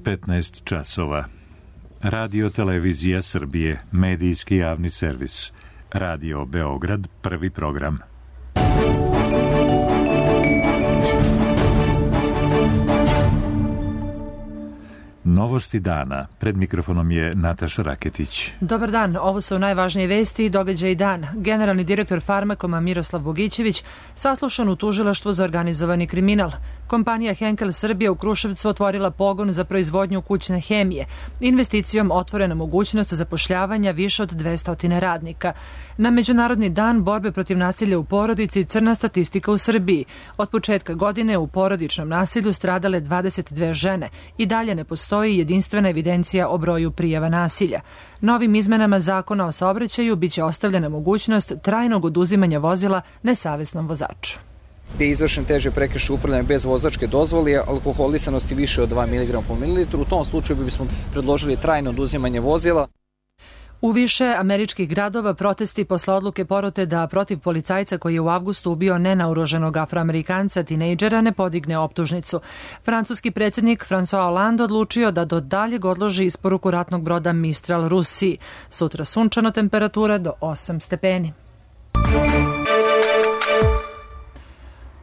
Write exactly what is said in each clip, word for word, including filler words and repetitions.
petnaest časova. Radio Televizija Srbije, medijski javni servis. Radio Beograd, prvi program. Novosti dana. Pred mikrofonom je Nataša Raketić. Dobar dan, ovo su najvažnije vesti i događaji dan. Generalni direktor Farmakoma Miroslav Bogićević saslušan u tužilaštvu za organizovani kriminal. Kompanija Henkel Srbija u Kruševcu otvorila pogon za proizvodnju kućne hemije. Investicijom otvorena mogućnost zapošljavanja više od dvesta radnika. Na Međunarodni dan borbe protiv nasilja u porodici crna statistika u Srbiji. Od početka godine u porodičnom nasilju stradale dvadeset dve žene i dalje ne postoji jedinstvena evidencija o broju prijava nasilja. Novim izmenama zakona o saobraćaju biće ostavljena mogućnost trajnog oduzimanja vozila nesavesnom vozaču. Gde je izvršen teže prekršaj upravljanja bez vozačke dozvole, alkoholisanosti više od dva miligrama po mililitru, u tom slučaju bismo predložili trajno oduzimanje vozila. U više američkih gradova protesti posle odluke porote da protiv policajca koji je u avgustu ubio nenaoružanog afroamerikanca tinejdžera ne podigne optužnicu. Francuski predsjednik François Hollande odlučio da do daljeg odloži isporuku ratnog broda Mistral Rusiji. Sutra sunčano, temperatura do osam stepeni.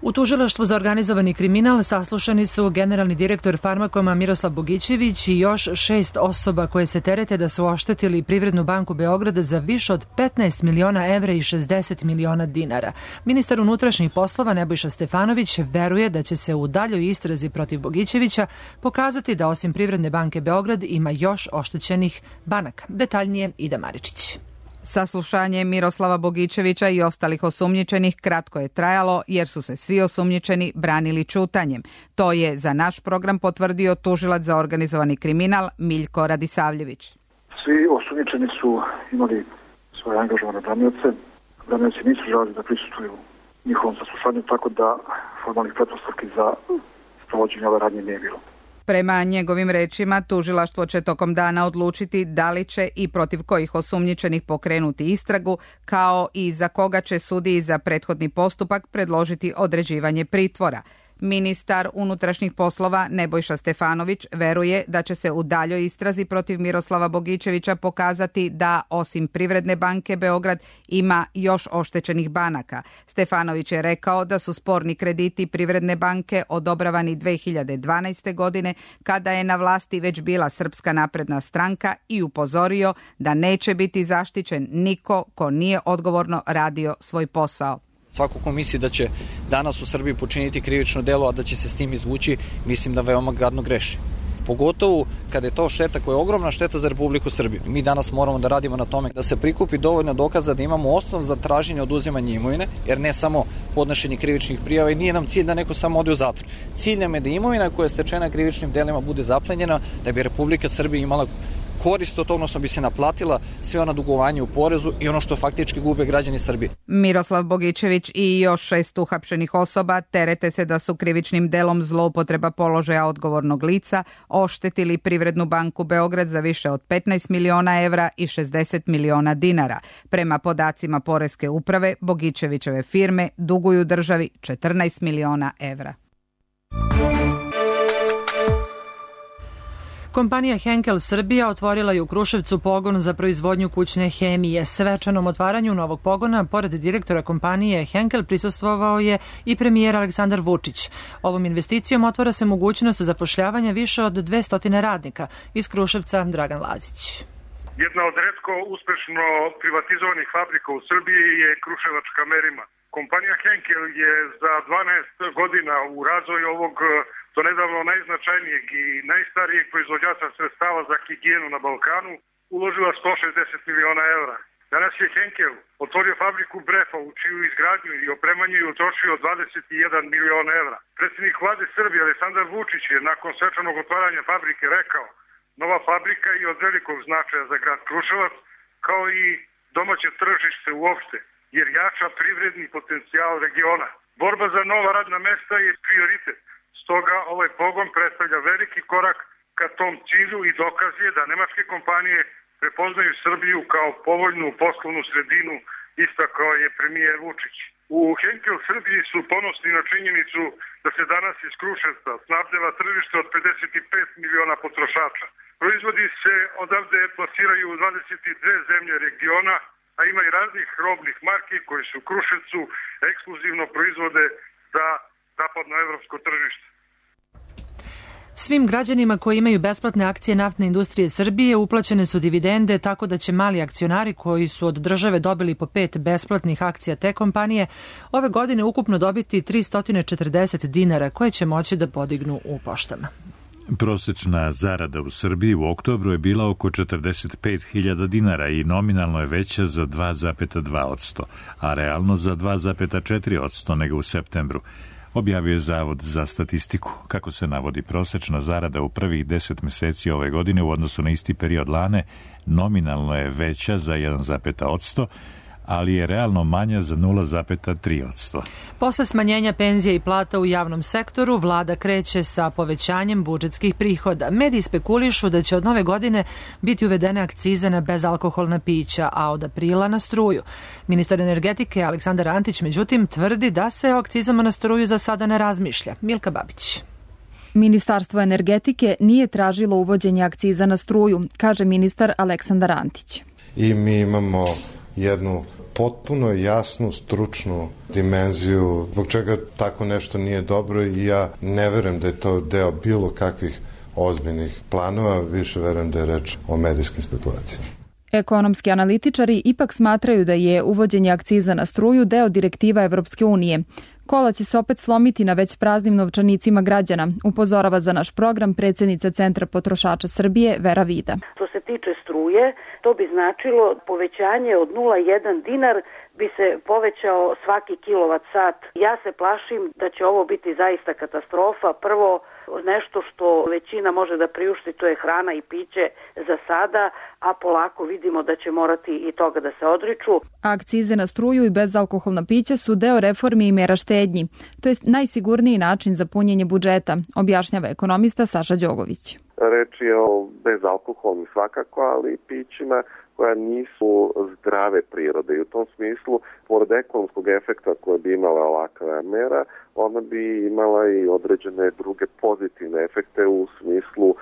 U tužilaštvu za organizovani kriminal saslušani su generalni direktor Farmakoma Miroslav Bogićević i još šest osoba koje se terete da su oštetili Privrednu banku Beograda za više od petnaest miliona evra i šezdeset miliona dinara. Ministar unutrašnjih poslova Nebojša Stefanović veruje da će se u daljoj istrazi protiv Bogićevića pokazati da osim Privredne banke Beograd ima još oštećenih banaka. Detaljnije Ida Maričić. Saslušanje Miroslava Bogićevića i ostalih osumnjičenih kratko je trajalo jer su se svi osumnjičeni branili ćutanjem. To je za naš program potvrdio tužilac za organizovani kriminal Miljko Radisavljević. Svi osumnjičeni su imali svoje angažovane branioce. Branioci nisu želeli da prisustvuju njihovom saslušanju, tako da formalnih pretpostavki za sprovođenje ove radnje nije bilo. Prema njegovim rečima, tužilaštvo će tokom dana odlučiti da li će i protiv kojih osumnjičenih pokrenuti istragu, kao i za koga će sudiji za prethodni postupak predložiti određivanje pritvora. Ministar unutrašnjih poslova Nebojša Stefanović veruje da će se u daljoj istrazi protiv Miroslava Bogićevića pokazati da osim Privredne banke Beograd ima još oštećenih banaka. Stefanović je rekao da su sporni krediti Privredne banke odobravani dve hiljade dvanaeste. godine kada je na vlasti već bila Srpska napredna stranka i upozorio da neće biti zaštićen niko ko nije odgovorno radio svoj posao. Svako ko misli da će danas u Srbiji počiniti krivično delo, a da će se s tim izvući, mislim da veoma gadno greši. Pogotovo kada je to šteta koja je ogromna šteta za Republiku Srbiju. Mi danas moramo da radimo na tome da se prikupi dovoljno dokaza da imamo osnov za traženje oduzimanja imovine, jer ne samo podnošenje krivičnih prijava i nije nam cilj da neko samo ode u zatvor. Cilj nam je da imovina koja je stečena krivičnim delima bude zaplenjena, da bi Republika Srbija imala korist od toga, odnosno bi se naplatila sve ona dugovanja u porezu i ono što faktički gube građani Srbije. Miroslav Bogićević i još šest uhapšenih osoba terete se da su krivičnim delom zloupotreba položaja odgovornog lica oštetili Privrednu banku Beograd za više od petnaest miliona evra i šezdeset miliona dinara. Prema podacima Poreske uprave, Bogićevićeve firme duguju državi četrnaest miliona evra. Kompanija Henkel Srbija otvorila je u Kruševcu pogon za proizvodnju kućne hemije. Svečanom otvaranju novog pogona, pored direktora kompanije Henkel, prisustvovao je i premijer Aleksandar Vučić. Ovom investicijom otvara se mogućnost zapošljavanja više od dvesta radnika. Iz Kruševca Dragan Lazić. Jedna od retko uspešno privatizovanih fabrika u Srbiji je kruševačka Merima. Kompanija Henkel je za dvanaest godina u razvoju ovog do nedavno najznačajnijeg i najstarijeg proizvođača sredstava za higijenu na Balkanu uložila sto šezdeset miliona evra. Danas je Henkel otvorio fabriku Brefa u čiju izgradnju i opremanje je utrošio dvadeset jedan miliona evra. Predsjednik vlade Srbije Aleksandar Vučić je nakon svečanog otvaranja fabrike rekao: nova fabrika je od velikog značaja za grad Kruševac, kao i domaće tržište uopšte, jer jača privredni potencijal regiona. Borba za nova radna mesta je prioritet. Stoga ovaj pogon predstavlja veliki korak ka tom cilju i dokaz je da nemačke kompanije prepoznaju Srbiju kao povoljnu poslovnu sredinu, istakao je premijer Vučić. U Henkel Srbiji su ponosni na činjenicu da se danas iz Kruševca snabdeva tržište od pedeset pet miliona potrošača. Proizvodi se odavde plasiraju u dvadeset dve zemlje regiona, a ima i raznih robnih marki koji su u Kruševcu ekskluzivno proizvode za zapadnoevropsko tržište. Svim građanima koji imaju besplatne akcije Naftne industrije Srbije uplaćene su dividende, tako da će mali akcionari koji su od države dobili po pet besplatnih akcija te kompanije ove godine ukupno dobiti tristo četrdeset dinara koje će moći da podignu u poštama. Prosečna zarada u Srbiji u oktobru je bila oko četrdeset pet hiljada dinara i nominalno je veća za dva zarez dva posto, a realno za dva zarez četiri posto nego u septembru, objavio je Zavod za statistiku. Kako se navodi, prosečna zarada u prvih deset meseci ove godine u odnosu na isti period lane nominalno je veća za jedan zarez pet posto, ali je realno manja za nula zarez tri posto. Posle smanjenja penzija i plata u javnom sektoru, vlada kreće sa povećanjem budžetskih prihoda. Mediji spekulišu da će od nove godine biti uvedene akcize na bezalkoholna pića, a od aprila na struju. Ministar energetike Aleksandar Antić, međutim, tvrdi da se o akcizama na struju za sada ne razmišlja. Milka Babić. Ministarstvo energetike nije tražilo uvođenje akciza na struju, kaže ministar Aleksandar Antić. I mi imamo jednu potpuno jasnu stručnu dimenziju zbog čega tako nešto nije dobro i ja ne verujem da je to deo bilo kakvih ozbiljnih planova, više verujem da je reč o medijskim spekulacijama. Ekonomski analitičari ipak smatraju da je uvođenje akciza na struju deo direktiva Evropske unije. Kola će se opet slomiti na već praznim novčanicima građana, upozorava za naš program predsjednica Centra potrošača Srbije Vera Vida. Što se tiče struje, to bi značilo povećanje od nula zarez jedan dinar bi se povećao svaki kilovat sat. Ja se plašim da će ovo biti zaista katastrofa. Prvo, nešto što većina može da priušti, to je hrana i piće za sada, a polako vidimo da će morati i toga da se odriču. Akcize na struju i bezalkoholna pića su deo reformi i mera štednji. To je najsigurniji način za punjenje budžeta, objašnjava ekonomista Saša Đogović. Reč je o bezalkoholnim svakako, ali i pićima koja nisu zdrave prirode i u tom smislu, pored ekonomskog efekta koje bi imala ovakva mera, ona bi imala i određene druge pozitivne efekte u smislu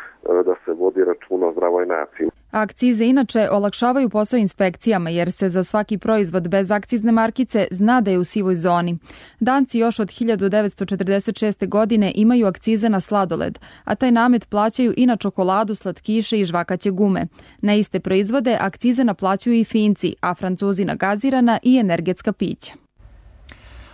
da se vodi računa o zdravoj naciji. Akcize inače olakšavaju posao inspekcijama jer se za svaki proizvod bez akcizne markice zna da je u sivoj zoni. Danci još od hiljadu devetsto četrdeset šeste. godine imaju akcize na sladoled, a taj namet plaćaju i na čokoladu, slatkiše i žvakaće gume. Na iste proizvode akcize naplaćuju i Finci, a Francuzi na gazirana i energetska pića.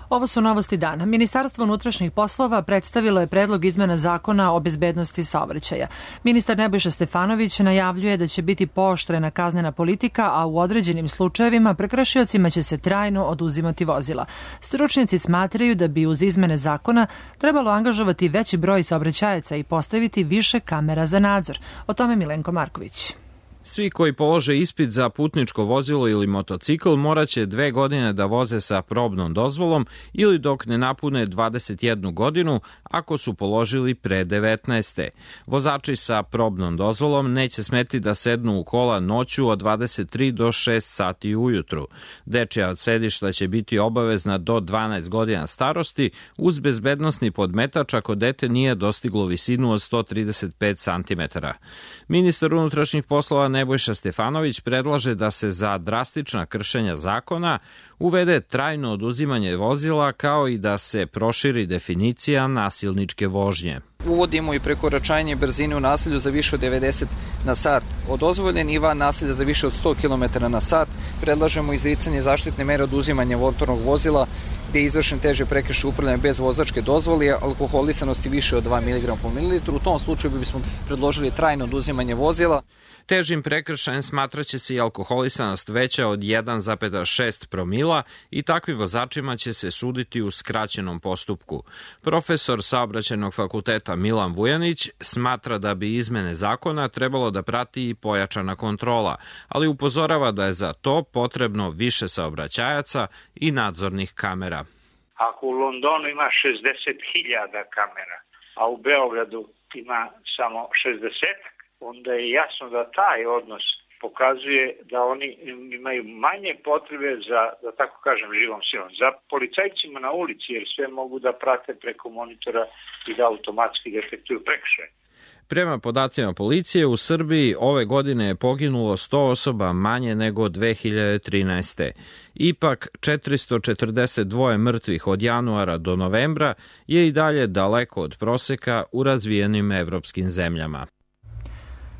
Ovo su novosti dana. Ministarstvo unutrašnjih poslova predstavilo je predlog izmena zakona o bezbednosti saobraćaja. Ministar Nebojša Stefanović najavljuje da će biti pooštrena kaznena politika, a u određenim slučajevima prekršiocima će se trajno oduzimati vozila. Stručnjaci smatraju da bi uz izmene zakona trebalo angažovati veći broj saobraćajaca i postaviti više kamera za nadzor. O tome Milenko Marković. Svi koji polože ispit za putničko vozilo ili motocikl moraće dve godine da voze sa probnom dozvolom ili dok ne napune dvadeset jednu godinu ako su položili pre devetnaeste. Vozači sa probnom dozvolom neće smeti da sednu u kola noću od dvadeset tri do šest sati ujutru. Dečija sedišta će biti obavezna do dvanaest godina starosti uz bezbednosni podmetač ako dete nije dostiglo visinu od sto trideset pet centimetara. Ministar unutrašnjih poslova Nebojša Stefanović predlaže da se za drastična kršenja zakona uvede trajno oduzimanje vozila kao i da se proširi definicija nasilničke vožnje. Uvodimo i prekoračanje brzine u naselju za više od devedeset na sat. Od dozvoljen i van naselja za više od sto kilometara na sat predlažemo izricanje zaštitne mere oduzimanja motornog vozila gde je izvršen teže prekršaj upravljanja bez vozačke dozvole, alkoholisanosti više od dva miligrama po mililitru. U tom slučaju bismo predložili trajno oduzimanje vozila. Težim prekršajem smatraće se i alkoholisanost veća od jedan zarez šest promila i takvim vozačima će se suditi u skraćenom postupku. Profesor Saobraćajnog fakulteta Milan Vujanić smatra da bi izmene zakona trebalo da prati i pojačana kontrola, ali upozorava da je za to potrebno više saobraćajaca i nadzornih kamera. Ako u Londonu ima šezdeset hiljada kamera, a u Beogradu ima samo šezdeset, onda je jasno da taj odnos pokazuje da oni imaju manje potrebe za, da tako kažem, živom silom. Za policajcima na ulici, jer sve mogu da prate preko monitora i da automatski detektuju prekršaje. Prema podacima policije, u Srbiji ove godine je poginulo sto osoba manje nego dve hiljade trinaeste. Ipak, četiristo četrdeset dva mrtvih od januara do novembra je i dalje daleko od proseka u razvijenim evropskim zemljama.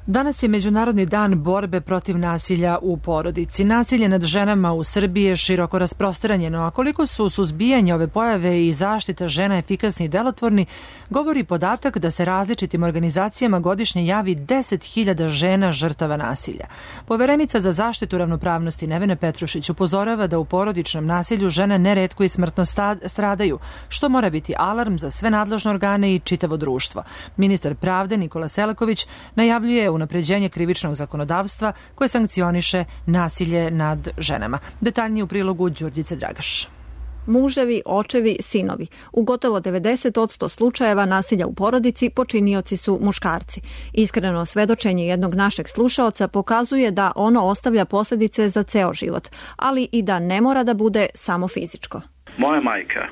Danas je Međunarodni dan borbe protiv nasilja u porodici. Nasilje nad ženama u Srbiji je široko rasprostranjeno, a koliko su suzbijanje ove pojave i zaštita žena efikasni i delotvorni, govori podatak da se različitim organizacijama godišnje javi deset hiljada žena žrtava nasilja. Poverenica za zaštitu ravnopravnosti Nevena Petrušić upozorava da u porodičnom nasilju žene neretko i smrtno stradaju, što mora biti alarm za sve nadležne organe i čitavo društvo. Ministar pravde Nikola Selaković najavljuje unapređenje krivičnog zakonodavstva koje sankcioniše nasilje nad ženama. Detaljnije u prilogu Đurđice Dragaš. Muževi, očevi, sinovi. U gotovo devedeset posto slučajeva nasilja u porodici počinioci su muškarci. Iskreno svedočenje jednog našeg slušaoca pokazuje da ono ostavlja posljedice za ceo život, ali i da ne mora da bude samo fizičko. Moja majka,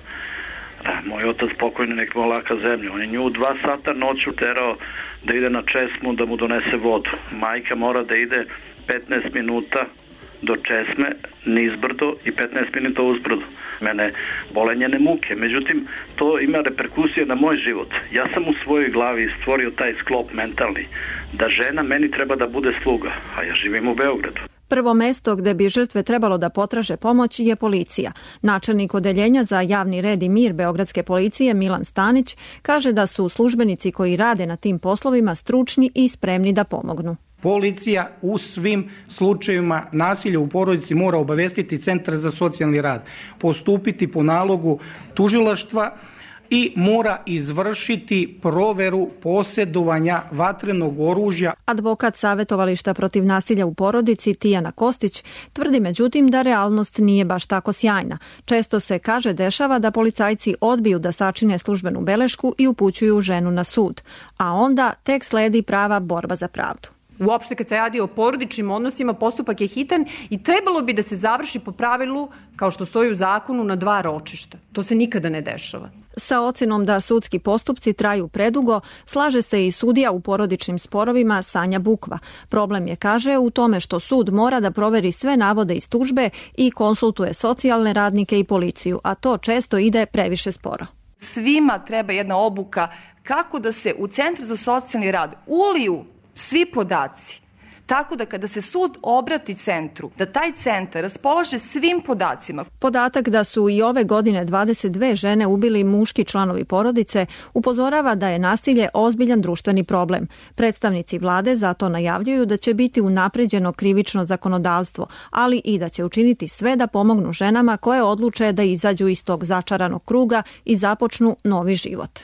moj otac pokojni, nek mu laka zemlja, on je nju dva sata noću terao da ide na česmu da mu donese vodu. Majka mora da ide petnaest minuta do česme nizbrdo i petnaest minuta uzbrdo. Mene bole njene muke, međutim to ima reperkusije na moj život. Ja sam u svojoj glavi stvorio taj sklop mentalni da žena meni treba da bude sluga, a ja živim u Beogradu. Prvo mesto gde bi žrtve trebalo da potraže pomoć je policija. Načelnik odeljenja za javni red i mir Beogradske policije Milan Stanić kaže da su službenici koji rade na tim poslovima stručni i spremni da pomognu. Policija u svim slučajevima nasilja u porodici mora obavestiti Centar za socijalni rad, postupiti po nalogu tužilaštva i mora izvršiti proveru posjedovanja vatrenog oružja. Advokat Savetovališta protiv nasilja u porodici Tijana Kostić tvrdi međutim da realnost nije baš tako sjajna. Često se, kaže, dešava da policajci odbiju da sačine službenu belešku i upućuju ženu na sud, a onda tek sledi prava borba za pravdu. Uopšte kad se radi o porodičnim odnosima, postupak je hitan i trebalo bi da se završi po pravilu, kao što stoji u zakonu, na dva ročišta. To se nikada ne dešava. Sa ocenom da sudski postupci traju predugo, slaže se i sudija u porodičnim sporovima Sanja Bukva. Problem je, kaže, u tome što sud mora da proveri sve navode iz tužbe i konsultuje socijalne radnike i policiju, a to često ide previše sporo. Svima treba jedna obuka kako da se u Centar za socijalni rad uliju svi podaci, tako da kada se sud obrati centru, da taj centar raspolaže svim podacima. Podatak da su i ove godine dvadeset dve žene ubili muški članovi porodice upozorava da je nasilje ozbiljan društveni problem. Predstavnici vlade zato najavljuju da će biti unapređeno krivično zakonodavstvo, ali i da će učiniti sve da pomognu ženama koje odluče da izađu iz tog začaranog kruga i započnu novi život.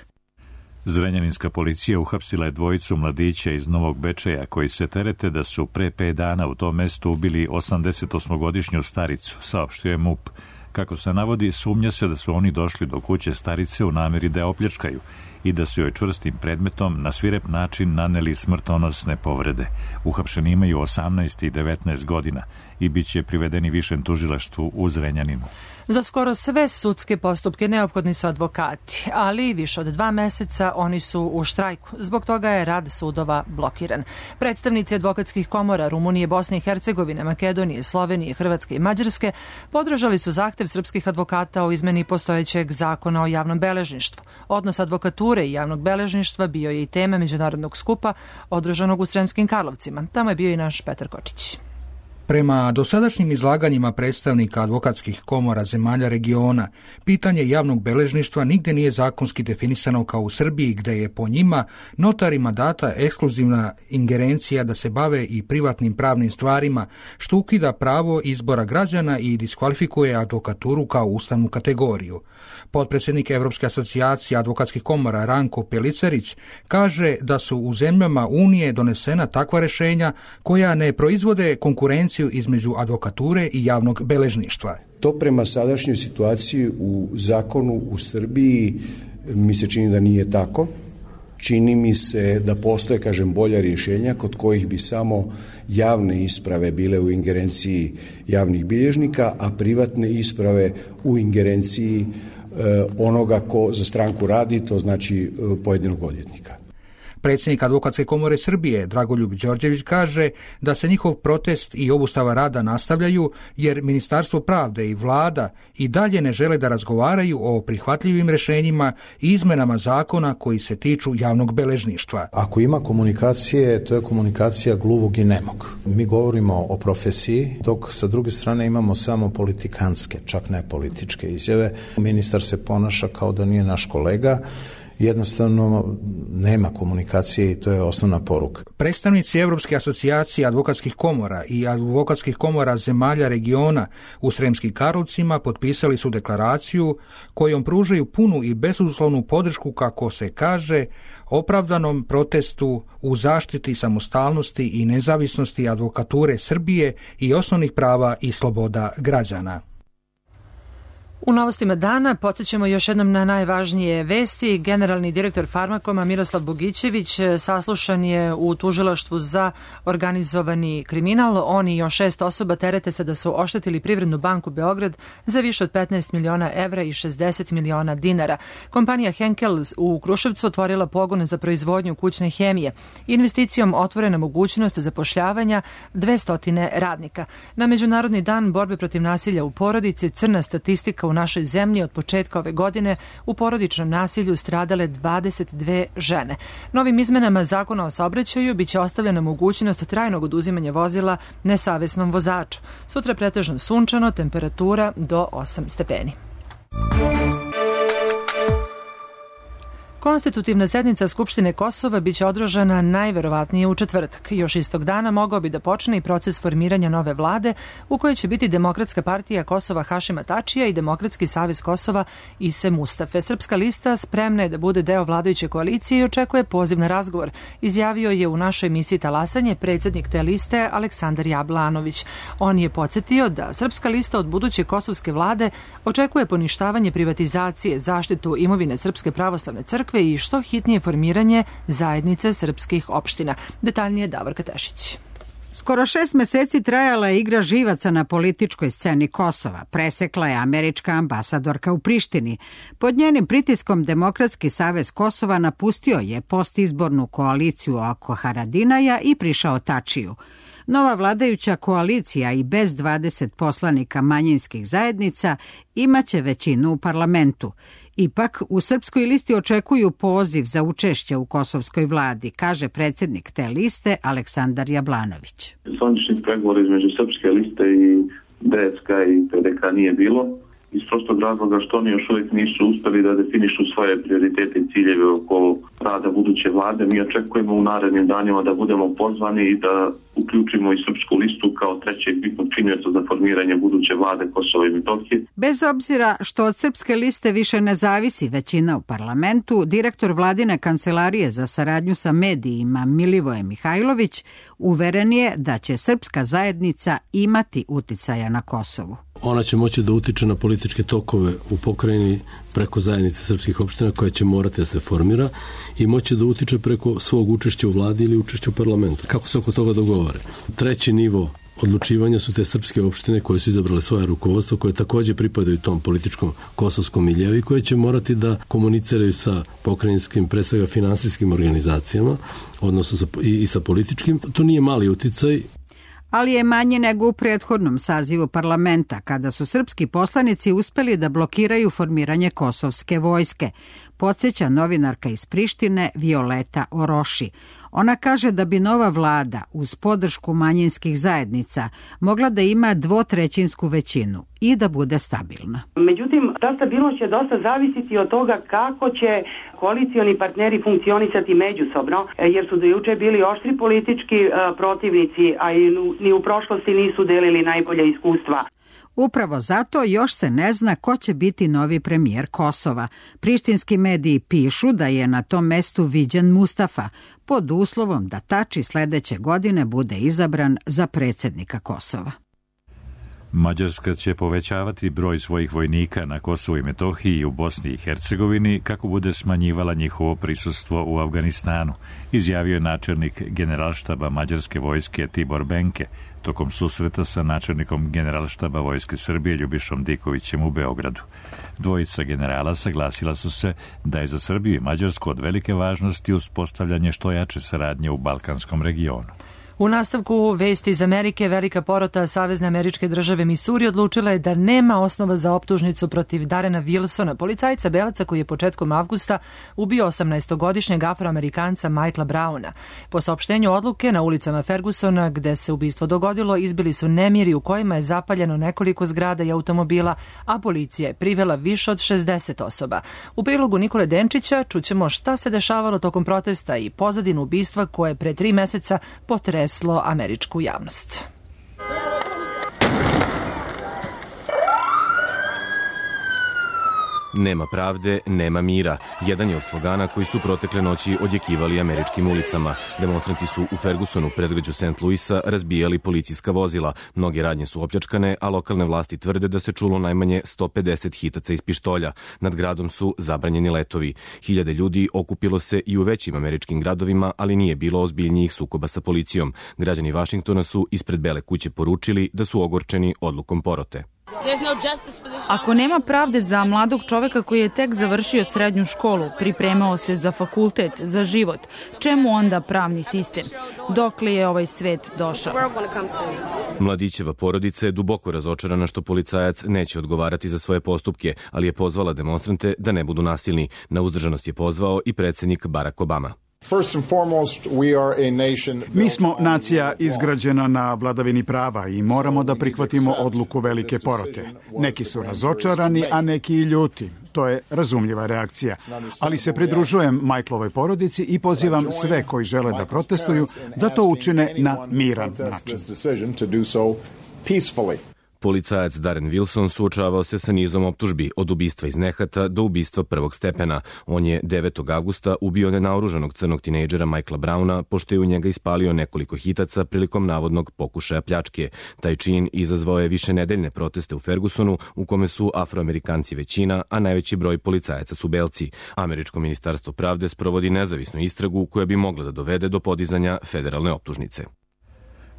Zrenjaninska policija uhapsila je dvojicu mladića iz Novog Bečeja koji se terete da su pre pet dana u tom mestu ubili osamdesetosmogodišnju staricu, saopštio je MUP. Kako se navodi, sumnja se da su oni došli do kuće starice u nameri da je opljačkaju i da su joj čvrstim predmetom na svirep način naneli smrtonosne povrede. Uhapšeni imaju osamnaest i devetnaest godina i bit će privedeni višem tužilaštvu u Zrenjaninu. Za skoro sve sudske postupke neophodni su advokati, ali više od dva meseca oni su u štrajku. Zbog toga je rad sudova blokiran. Predstavnici advokatskih komora Rumunije, Bosne i Hercegovine, Makedonije, Slovenije, Hrvatske i Mađarske podržali su zahtev srpskih advokata o izmeni postojećeg zakona o javnom beležništvu. Odnos advokature i javnog beležništva bio je i tema međunarodnog skupa održanog u Sremskim Karlovcima. Tamo je bio i naš Petar Kočić. Prema dosadašnjim izlaganjima predstavnika advokatskih komora zemalja regiona, pitanje javnog beležništva nigde nije zakonski definisano kao u Srbiji, gde je po njima notarima data ekskluzivna ingerencija da se bave i privatnim pravnim stvarima, što ukida pravo izbora građana i diskvalifikuje advokaturu kao ustavnu kategoriju. Potpredsjednik Evropske asocijacije advokatskih komora Ranko Pelicarić kaže da su u zemljama Unije donesena takva rešenja koja ne proizvode konkurenciju između advokature i javnog beležništva. To prema sadašnjoj situaciji u zakonu u Srbiji mi se čini da nije tako. čini mi se da postoje, kažem, bolja rješenja kod kojih bi samo javne isprave bile u ingerenciji javnih bilježnika, a privatne isprave u ingerenciji e, onoga ko za stranku radi, to znači e, pojedinog odvjetnika. Predsjednik Advokatske komore Srbije, Dragoljub Đorđević, kaže da se njihov protest i obustava rada nastavljaju jer Ministarstvo pravde i vlada i dalje ne žele da razgovaraju o prihvatljivim rješenjima i izmenama zakona koji se tiču javnog beležništva. Ako ima komunikacije, to je komunikacija gluvog i nemog. Mi govorimo o profesiji, dok sa druge strane imamo samo politikantske, čak ne političke izjave. Ministar se ponaša kao da nije naš kolega. Jednostavno nema komunikacije i to je osnovna poruka. Predstavnici Europske asocijacije advokatskih komora i advokatskih komora zemalja regiona u Sremskim Karlovcima potpisali su deklaraciju kojom pružaju punu i bezuslovnu podršku, kako se kaže, opravdanom protestu u zaštiti samostalnosti i nezavisnosti advokature Srbije i osnovnih prava i sloboda građana. U novostima dana podsjećamo još jednom na najvažnije vesti. Generalni direktor Farmakoma Miroslav Bogićević saslušan je u tužilaštvu za organizovani kriminal. On i još šest osoba terete se da su oštetili Privrednu banku Beograd za više od petnaest miliona evra i šezdeset miliona dinara. Kompanija Henkel u Kruševcu otvorila pogone za proizvodnju kućne hemije. Investicijom otvorena mogućnost zapošljavanja dvesta radnika. Na Međunarodni dan borbe protiv nasilja u porodici crna statistika u našoj zemlji od početka ove godine u porodičnom nasilju stradale dvadeset dve žene. Novim izmenama Zakona o saobraćaju biće ostavljena mogućnost trajnog oduzimanja vozila nesavesnom vozaču. Sutra pretežno sunčano, temperatura do osam stepeni. Konstitutivna sednica Skupštine Kosova biće održana najverovatnije u četvrtak. Još istog dana mogao bi da počne i proces formiranja nove vlade u kojoj će biti Demokratska partija Kosova Hašima Tačija i Demokratski savez Kosova Ise Mustafe. Srpska lista spremna je da bude deo vladajuće koalicije i očekuje poziv na razgovor, izjavio je u našoj emisiji Talasanje predsjednik te liste Aleksandar Jablanović. On je podsjetio da Srpska lista od buduće kosovske vlade očekuje poništavanje privatizacije, zaštitu imovine Srpske pravoslavne crkve i što hitnije formiranje zajednice srpskih opština. Detaljnije Davorka Tešić. Skoro šest meseci trajala je igra živaca na političkoj sceni Kosova. Presekla je američka ambasadorka u Prištini. Pod njenim pritiskom Demokratski savez Kosova napustio je postizbornu koaliciju oko Haradinaja i prišao Tačiju. Nova vladajuća koalicija i bez dvadeset poslanika manjinskih zajednica imaće većinu u parlamentu. Ipak, u Srpskoj listi očekuju poziv za učešće u kosovskoj vladi, kaže predsjednik te liste Aleksandar Jablanović. Zvaničnih pregovora između Srpske liste i D S K i P D K nije bilo, iz prostog razloga što oni još uvijek nisu uspjeli da definišu svoje prioritete i ciljeve oko rada buduće vlade. Mi očekujemo u narednim danima da budemo pozvani i da uključimo i Srpsku listu kao trećeg bitnog činioca za formiranje buduće vlade Kosova i Metohije. Bez obzira što od Srpske liste više ne zavisi većina u parlamentu, direktor vladine kancelarije za saradnju sa medijima Milivoje Mihajlović uveren je da će srpska zajednica imati uticaja na Kosovu. Ona će moći da utiče na političke tokove u pokrajini preko zajednice srpskih opština koja će morati da se formira i moći da utiče preko svog učešća u vladi ili učešća u parlamentu. Kako se oko toga dogovore? Treći nivo odlučivanja su te srpske opštine koje su izabrale svoje rukovodstvo, koje također pripadaju tom političkom kosovskom miljeu i koje će morati da komuniciraju sa pokrajinskim, pre svega finansijskim organizacijama, odnosno sa, i, i sa političkim. To nije mali uticaj. Ali je manje nego u prethodnom sazivu parlamenta, kada su srpski poslanici uspeli da blokiraju formiranje kosovske vojske, podsjeća novinarka iz Prištine Violeta Oroši. Ona kaže da bi nova vlada uz podršku manjinskih zajednica mogla da ima dvotrećinsku većinu i da bude stabilna. Međutim, ta stabilnost će dosta zavisiti od toga kako će koalicioni partneri funkcionisati međusobno, jer su do juče bili oštri politički protivnici, a i ni u prošlosti nisu delili najbolja iskustva. Upravo zato još se ne zna ko će biti novi premijer Kosova. Prištinski mediji pišu da je na tom mestu viđen Mustafa, pod uslovom da Tači sljedeće godine bude izabran za predsjednika Kosova. Mađarska će povećavati broj svojih vojnika na Kosovu i Metohiji i u Bosni i Hercegovini kako bude smanjivala njihovo prisustvo u Afganistanu, izjavio je načelnik generalštaba mađarske vojske Tibor Benke tokom susreta sa načelnikom generalštaba Vojske Srbije Ljubišom Dikovićem u Beogradu. Dvojica generala saglasila su se da je za Srbiju i Mađarsku od velike važnosti uspostavljanje što jače saradnje u balkanskom regionu. U nastavku vesti iz Amerike, velika porota Savezne američke države Misuri odlučila je da nema osnova za optužnicu protiv Darena Wilsona, policajca belaca koji je početkom avgusta ubio osamnaestogodišnjeg afroamerikanca Michaela Browna. Po saopštenju odluke na ulicama Fergusona, gde se ubistvo dogodilo, izbili su nemiri u kojima je zapaljeno nekoliko zgrada i automobila, a policija je privela više od šezdeset osoba. U prilogu Nikole Denčića čućemo šta se dešavalo tokom protesta i pozadinu ubistva koje pre tri meseca potreslo američku javnost. Nema pravde, nema mira. Jedan je od slogana koji su protekle noći odjekivali američkim ulicama. Demonstranti su u Fergusonu, predgrađu Saint Louisa, razbijali policijska vozila. Mnoge radnje su opljačkane, a lokalne vlasti tvrde da se čulo najmanje sto pedeset hitaca iz pištolja. Nad gradom su zabranjeni letovi. Hiljade ljudi okupilo se i u većim američkim gradovima, ali nije bilo ozbiljnijih sukoba sa policijom. Građani Vašingtona su ispred Bele kuće poručili da su ogorčeni odlukom porote. Ako nema pravde za mladog čoveka koji je tek završio srednju školu, pripremao se za fakultet, za život, čemu onda pravni sistem? Dokle je ovaj svet došao? Mladićeva porodica je duboko razočarana što policajac neće odgovarati za svoje postupke, ali je pozvala demonstrante da ne budu nasilni. Na uzdržanost je pozvao i predsjednik Barack Obama. Mi smo nacija izgrađena na vladavini prava i moramo da prihvatimo odluku velike porote. Neki su razočarani, a neki i ljuti. To je razumljiva reakcija. Ali se pridružujem Michaelovoj porodici i pozivam sve koji žele da protestuju da to učine na miran način. Policajac Darren Wilson suočavao se sa nizom optužbi od ubistva iz nehata do ubistva prvog stepena. On je devetog avgusta ubio nenaoružanog crnog tinejdžera Michaela Browna pošto je u njega ispalio nekoliko hitaca prilikom navodnog pokušaja pljačke. Taj čin izazvao je višenedeljne proteste u Fergusonu u kome su Afroamerikanci većina, a najveći broj policajaca su belci. Američko ministarstvo pravde sprovodi nezavisnu istragu koja bi mogla da dovede do podizanja federalne optužnice.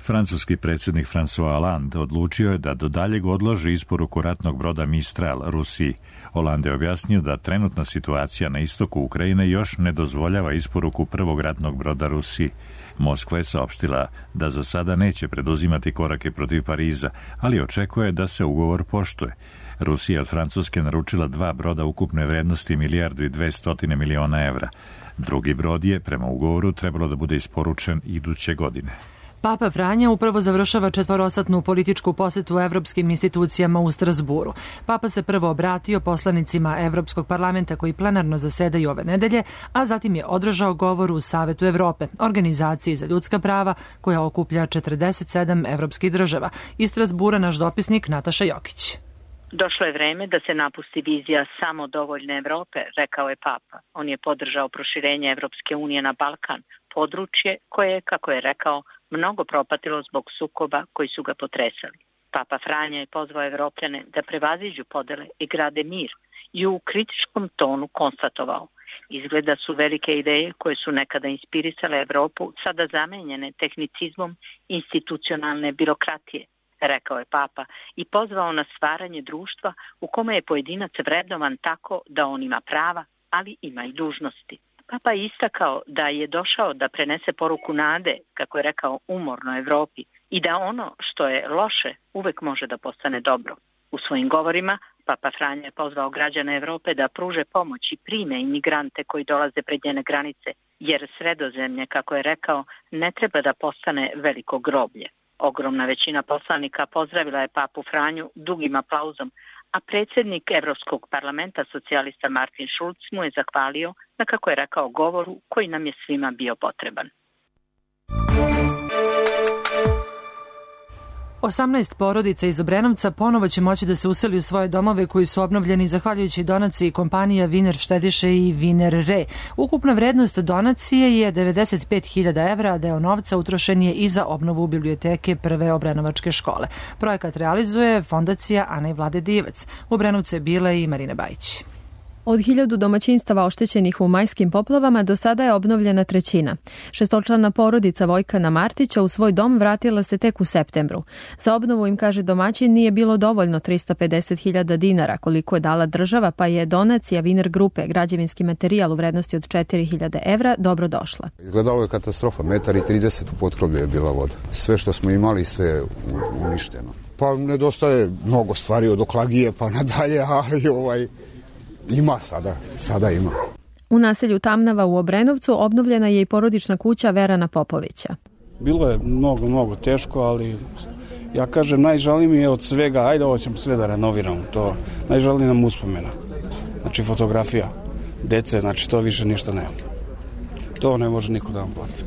Francuski predsjednik François Hollande odlučio je da do daljeg odloži isporuku ratnog broda Mistral Rusiji. Hollande je objasnio da trenutna situacija na istoku Ukrajine još ne dozvoljava isporuku prvog ratnog broda Rusiji. Moskva je saopštila da za sada neće preduzimati korake protiv Pariza, ali očekuje da se ugovor poštuje. Rusija je od Francuske naručila dva broda ukupne vrednosti milijardu i dvestotine miliona evra. Drugi brod je, prema ugovoru, trebalo da bude isporučen iduće godine. Papa Franja upravo završava četvorosatnu političku posetu evropskim institucijama u Strasburu. Papa se prvo obratio poslanicima Evropskog parlamenta koji plenarno zasedaju ove nedelje, a zatim je održao govor u Savetu Evrope, organizaciji za ljudska prava koja okuplja četrdeset sedam evropskih država. Iz Strasbura naš dopisnik Nataša Jokić. Došlo je vreme da se napusti vizija samo dovoljne Evrope, rekao je Papa. On je podržao proširenje Evropske unije na Balkan, područje koje je, kako je rekao, mnogo propatilo zbog sukoba koji su ga potresali. Papa Franja je pozvao Evropljane da prevaziđu podele i grade mir i u kritičkom tonu konstatovao: izgleda su velike ideje koje su nekada inspirisale Evropu sada zamenjene tehnicizmom institucionalne birokratije, rekao je Papa i pozvao na stvaranje društva u kome je pojedinac vrednovan tako da on ima prava, ali ima i dužnosti. Papa je istakao da je došao da prenese poruku nade, kako je rekao, umornoj Evropi i da ono što je loše uvek može da postane dobro. U svojim govorima Papa Franja je pozvao građane Evrope da pruže pomoć i prime imigrante koji dolaze pred njene granice, jer Sredozemlje, kako je rekao, ne treba da postane veliko groblje. Ogromna većina poslanika pozdravila je Papu Franju dugim aplauzom, a predsjednik Evropskog parlamenta socijalista Martin Schulz mu je zahvalio na, kako je rekao, govoru koji nam je svima bio potreban. osamnaest porodica iz Obrenovca ponovo će moći da se useli u svoje domove koji su obnovljeni zahvaljujući donaciji kompanija Viner štediše i Viner Re. Ukupna vrednost donacije je devedeset pet hiljada evra, a deo novca utrošen je i za obnovu biblioteke prve obrenovačke škole. Projekat realizuje fondacija Ana i Vlade Divac. U Obrenovcu je bila i Marina Bajić. Od hiljadu domaćinstava oštećenih u majskim poplavama do sada je obnovljena trećina. Šestočlana porodica Vojkana Martića u svoj dom vratila se tek u septembru. Za obnovu, im kaže domaćin, nije bilo dovoljno trista pedeset hiljada dinara koliko je dala država, pa je donacija Viner grupe, građevinski materijal u vrednosti od četiri hiljade evra, dobro došla. Izgledalo je katastrofa, metar i trideset u potkrovlju je bila voda. Sve što smo imali, sve je uništeno. Pa nedostaje mnogo stvari od oklagije pa nadalje, ali ovaj... Ima sada, sada ima. U naselju Tamnava u Obrenovcu obnovljena je i porodična kuća Verana Popovića. Bilo je mnogo, mnogo teško, ali ja kažem, najžali mi je od svega, ajde ovo ćemo sve da renoviramo, to najžali nam uspomena. Znači fotografija, dece, znači to više ništa nema. To ne može niko da vam plati.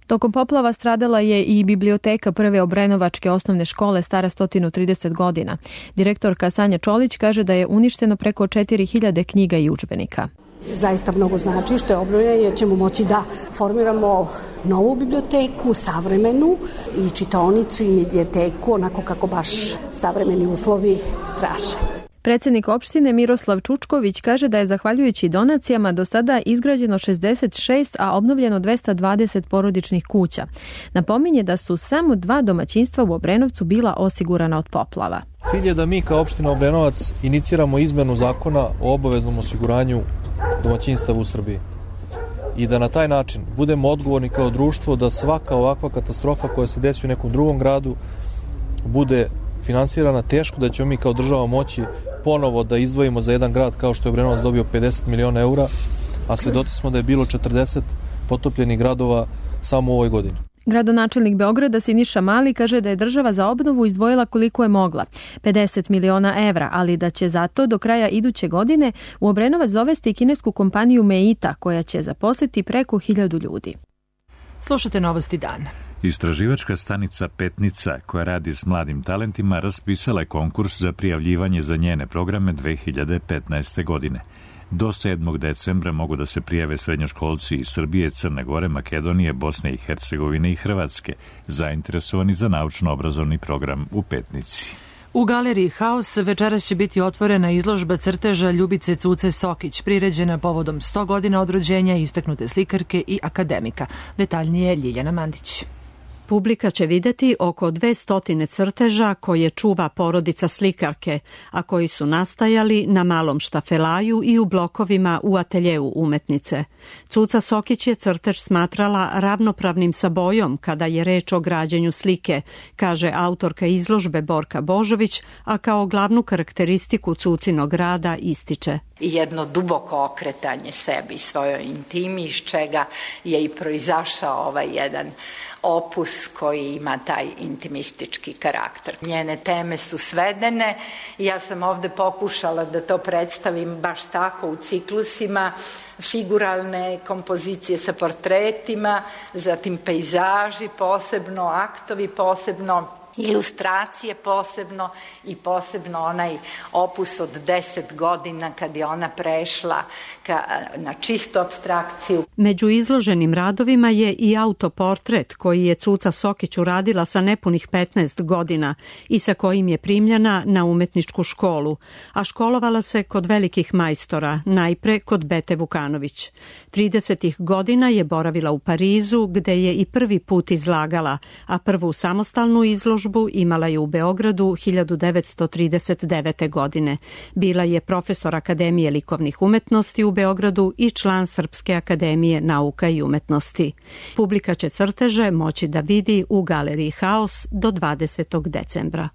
Tokom poplava stradala je i biblioteka prve obrenovačke osnovne škole stara sto trideset godina. Direktorka Sanja Čolić kaže da je uništeno preko četiri hiljade knjiga i udžbenika. Zaista mnogo znači što je obnovljeno, jer ćemo moći da formiramo novu biblioteku, savremenu, i čitaonicu i medijateku, onako kako baš savremeni uslovi traže. Predsjednik opštine Miroslav Čučković kaže da je zahvaljujući donacijama do sada izgrađeno šezdeset šest, a obnovljeno dvesta dvadeset porodičnih kuća. Napominje da su samo dva domaćinstva u Obrenovcu bila osigurana od poplava. Cilj je da mi kao opština Obrenovac iniciramo izmenu zakona o obaveznom osiguranju domaćinstava u Srbiji i da na taj način budemo odgovorni kao društvo da svaka ovakva katastrofa koja se desi u nekom drugom gradu bude finansirana. Teško da ćemo mi kao država moći ponovo da izdvojimo za jedan grad kao što je Obrenovac dobio pedeset miliona eura, a svedoci smo da je bilo četrdeset potopljenih gradova samo u ovoj godini. Gradonačelnik Beograda Siniša Mali kaže da je država za obnovu izdvojila koliko je mogla, pedeset miliona evra, ali da će zato do kraja iduće godine u Obrenovac dovesti kinesku kompaniju Meita, koja će zaposliti preko hiljadu ljudi. Slušate Novosti dana. Istraživačka stanica Petnica, koja radi s mladim talentima, raspisala je konkurs za prijavljivanje za njene programe dve hiljade petnaeste. godine. Do sedmog decembra mogu da se prijave srednjoškolci iz Srbije, Crne Gore, Makedonije, Bosne i Hercegovine i Hrvatske, zainteresovani za naučno-obrazovni program u Petnici. U galeriji Haos večeras će biti otvorena izložba crteža Ljubice Cuce Sokić, priređena povodom sto godina od rođenja istaknute slikarke i akademika. Detaljnije Ljiljana Mandić. Publika će videti oko dvesta crteža koje čuva porodica slikarke, a koji su nastajali na malom štafelaju i u blokovima u ateljeu umetnice. Cuca Sokić je crtež smatrala ravnopravnim sa bojom kada je reč o građenju slike, kaže autorka izložbe Borka Božović, a kao glavnu karakteristiku Cucinog rada ističe: jedno duboko okretanje sebi, svojoj intimi, iz čega je i proizašao ovaj jedan opus koji ima taj intimistički karakter. Njene teme su svedene i ja sam ovde pokušala da to predstavim baš tako u ciklusima, figuralne kompozicije sa portretima, zatim pejzaži posebno, aktovi posebno, ilustracije posebno i posebno onaj opus od deset godina kad je ona prešla ka, na čistu apstrakciju. Među izloženim radovima je i autoportret koji je Cuca Sokić uradila sa nepunih petnaest godina i sa kojim je primljena na umetničku školu, a školovala se kod velikih majstora, najpre kod Bete Vukanović. tridesetih godina je boravila u Parizu gde je i prvi put izlagala, a prvu samostalnu izložbu imala je u Beogradu hiljadu devetsto trideset devete. godine. Bila je profesor Akademije likovnih umetnosti u Beogradu i član Srpske akademije nauka i umetnosti. Publika će crteže moći da vidi u galeriji Haos do dvadesetog decembra.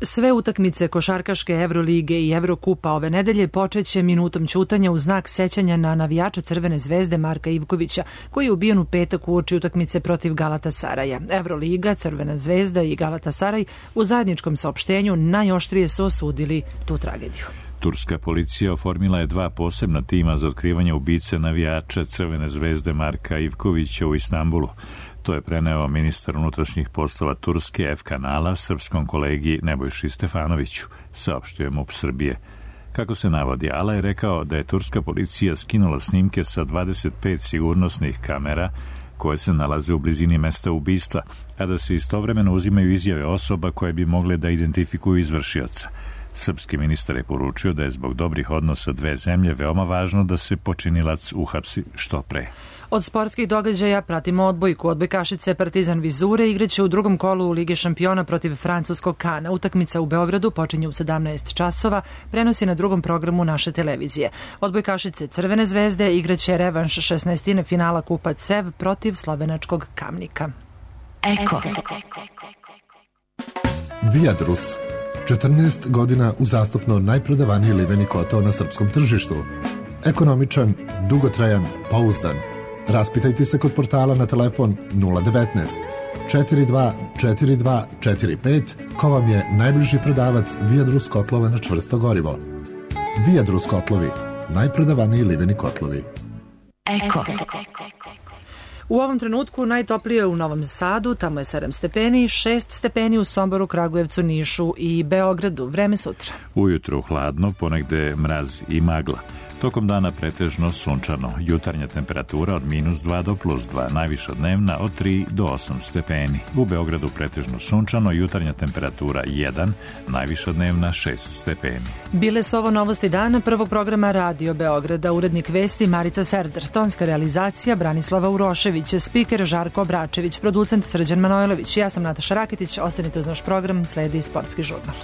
Sve utakmice košarkaške Evrolige i Evrokupa ove nedelje počeće minutom ćutanja u znak sećanja na navijača Crvene zvezde Marka Ivkovića, koji je ubijen u petak uoči utakmice protiv Galatasaraja. Evroliga, Crvena zvezda i Galatasaraj u zajedničkom saopštenju najoštrije su osudili tu tragediju. Turska policija oformila je dva posebna tima za otkrivanje ubice navijača Crvene zvezde Marka Ivkovića u Istanbulu. To je preneo ministar unutrašnjih poslova Turske F kanala srpskom kolegi Nebojši Stefanoviću, saopštio MUP Srbije. Kako se navodi, Ala je rekao da je turska policija skinula snimke sa dvadeset pet sigurnosnih kamera koje se nalaze u blizini mesta ubistva, a da se istovremeno uzimaju izjave osoba koje bi mogle da identifikuju izvršioca. Srpski ministar je poručio da je zbog dobrih odnosa dve zemlje veoma važno da se počinilac uhapsi što pre. Od sportskih događaja pratimo odbojku. Odbojkašice Partizan Vizure igraće u drugom kolu u Lige šampiona protiv francuskog Kana. Utakmica u Beogradu počinje u sedamnaest časova, prenosi na drugom programu naše televizije. Odbojkašice Crvene zvezde igraće revanš šesnaestine finala Kupa CEV protiv slovenačkog Kamnika. Eko. Viadrus. četrnaest godina uzastopno najprodavaniji liveni kotao na srpskom tržištu. Ekonomičan, dugotrajan, pouzdan. Raspitajte se kod portala na telefon nula devet četiri dva četiri dva četiri pet ko vam je najbliži prodavac Viadrus kotlova na čvrsto gorivo. Viadrus kotlovi, najprodavaniji liveni kotlovi. Eko. U ovom trenutku najtoplije je u Novom Sadu, tamo je sedam stepeni, šest stepeni u Somboru, Kragujevcu, Nišu i Beogradu. Vreme sutra. Ujutru hladno, ponegde mraz i magla. Tokom dana pretežno sunčano. Jutarnja temperatura od minus dva do plus dva, najviša dnevna od tri do osam stepeni. U Beogradu pretežno sunčano, jutarnja temperatura jedan, najviša dnevna šest stepeni. Bile su ovo novosti dana prvog programa Radio Beograda. Urednik vesti Marica Serder, tonska realizacija Branislava Urošević, spiker Žarko Obračević, producent Srđan Manojlović. Ja sam Nataša Raketić, ostanite uz naš program, sledi Sportski žurnal.